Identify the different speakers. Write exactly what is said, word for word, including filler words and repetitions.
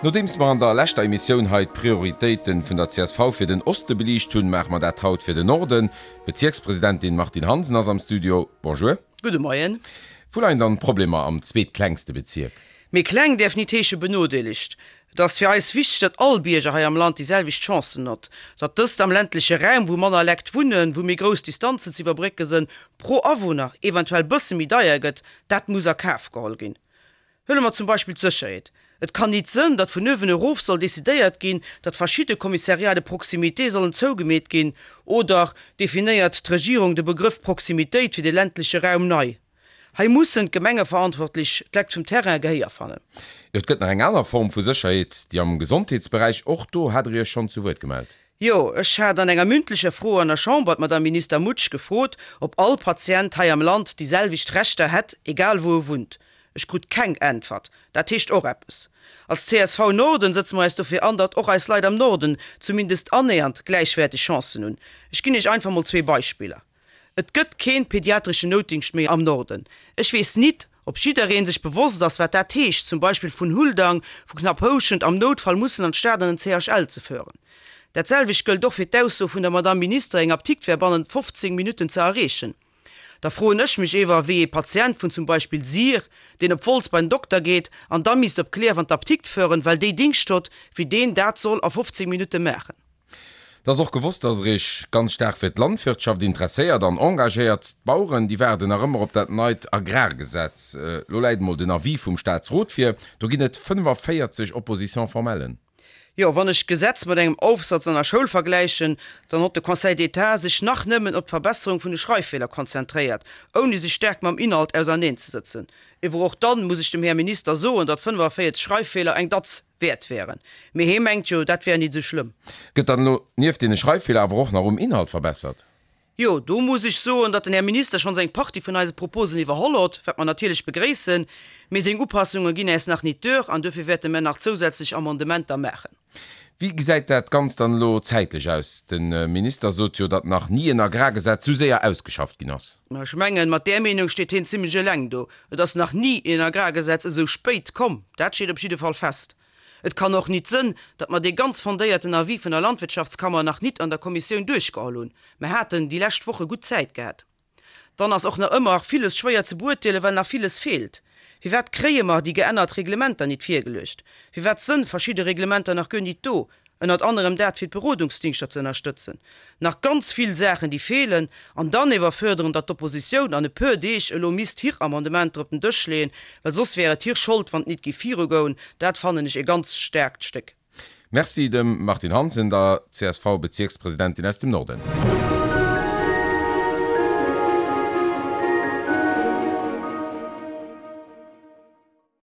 Speaker 1: Nodeems mer an der leschter Emissioun hei d'Prioritéite vun der csv fir den Oste beliicht hunn, maache mer dat haut fir den Norden. D'Bezierkspresidentin Martine Hansen ass am Studio. Bonjour.
Speaker 2: Gudde Moien.
Speaker 1: Wou leien dann d'Problemer am zweetklengste Bezierk?
Speaker 2: Mee kleng däerf nit heesche benodeelegt. Et ass fir eis wichteg, datt all Bierger hei am Land déi selwecht Chancen hott. Datt dëst am ländleche Raum, wou manner Lekt wunnen, wou méi grouss Distanzen ze iwwerbrécke sënn, pro Awunner eventuell bësse méi deier gëtt, dat muss a Kaf geholl ginn. Huele mer zum Beispill d'Sécherheet. Et kann nit sënn, datt vun uewen erof soll decidéiert ginn, datt verschidde Commissariats de proximité sollen zougemeet ginn. Oder definéiert d'Regierung de Begrëff Proximitéit fir de ländleche Raum nei? Hei mussen d'Gemengeverantwortlech d'Lekt vum Terrain Gehéier fannen.
Speaker 1: Jo, et gëtt nach eng aner Form vu Sécherheet, déi am Gesondheetsberäich. Och do hat Der Iech schonn zu Wuert gemellt.
Speaker 2: Jo, ech hat an enger mündlecher Fro an der Chamber d'Madame Minister Mutsch gefrot, ob all Patient hei am Land déi selwecht Rechter hätt, egal wou e wunnt. Ech krut keng Äntwert. Dat heescht och eppes. Als csv Norden sëtze mer eis dofir an, datt och eis Leit am Norden zumindest annähernd gläichwäerteg Chancen hunn. Ech ginn Iech einfach mol zwee Beispiller. Et gëtt keen pediatreschen Noutdingscht méi am Norden. Ech weess nit, ob jiddereen sech bewosst ass, wat dat heescht, zum Beispill vun Huldang, vu Knapphouschent am Noutfall mussen an d'Stad an den CHL ze föhren. Dat selwecht gëllt och fir d'Ausso vun der Madamm Minister, eng Aptikt wär bannent fofzéng Minutten ze erreechen. Da froen ech mech ewer, wéi ee Patient vun zum Beispill Sir, deen op Wolz bei den Dokter geet an da misst op Clierf an d'Aptikt föhren, well déi Dingscht hott, wéi deen dat soll a fofzéng Minutte maachen.
Speaker 1: Et ass och gewosst, dass Der Iech ganz staark fir d'Landwirtschaft interesséiert an engagéiert. D'Baueren, déi waarden nach ëmmer op dat neit Agrargesetz. Elo läit emol den Avis vum Staatsrot vir. Do ginn et fënnefaféierzeg Oppositions formellen.
Speaker 2: Jo, wann ech d'Gesetz mat engem Aufsatz an der Schoul vergläichen, dann hott de Conseil d'État sech nach nëmmen op d'Verbesserung vun de Schreiffeeler konzentréiert, ouni sech staark mam Inhalt auserneen-ze-sëtzen. Ewer och dann muss ech dem Här Minister soen, datt fënnefaféierzeg Schreiffeeler eng Datz wäert wären. Mee hee mengt jo, dat wär nit esou schlëmm.
Speaker 1: Gëtt dann elo nieft deene Schreiffeeler awer och nach um Inhalt verbessert?
Speaker 2: Jo, do muss ech soen, datt den Här Minister schonns eng Partie vun eise Proposen iwwerholl hott, wat mer natierlech begréissen. Mee seng Upassunge ginn äis nach nit duer an duerfir wäerte mer nach zousätzlech Amendementer maachen.
Speaker 1: Wéi gesäit dat Ganzt dann elo zäitlech aus? De Minister sot jo, datt nach ni en Agrargesetz sou séier ausgeschafft ginn ass.
Speaker 2: Mä ech mengen, mat där Meenung steet hien zimlech eleng do. Et ass nach ni en Agrargesetz esou spéit komm, dat steet op jidde Fall fest. Et kann och nit sënn, datt mer dee ganz fondéierten Avis vun der Landwirtschaftskammer nach nit an der Kommissioun duerchgeholl hunn. Mer haten déi lescht Woche gutt Zäit gehat. Dann ass och nach ëmmer villes schwéier ze beurteelen, well nach villes feelt. Firwat kréie mer déi geännert Reglementer nit virgeluecht? Firwat sënn verschidde Reglementer nach guer nit do, ënnert anerem dat fir d'Berodungsdingschter ze ënnerstëtzen? Nach ganz vill Saachen déi feelen. An dann ewer fuerderen, datt d'Oppositioun an e puer Deeg elo misst hir Amendementer op den Dësch leeën, well soss wär et hir Schold wann et nit géif virugoen, dat fannen ech e ganz staarkt Stéck.
Speaker 1: Merci dem Martine Hansen, der C S V-Bezierkspresidentin aus dem Norden.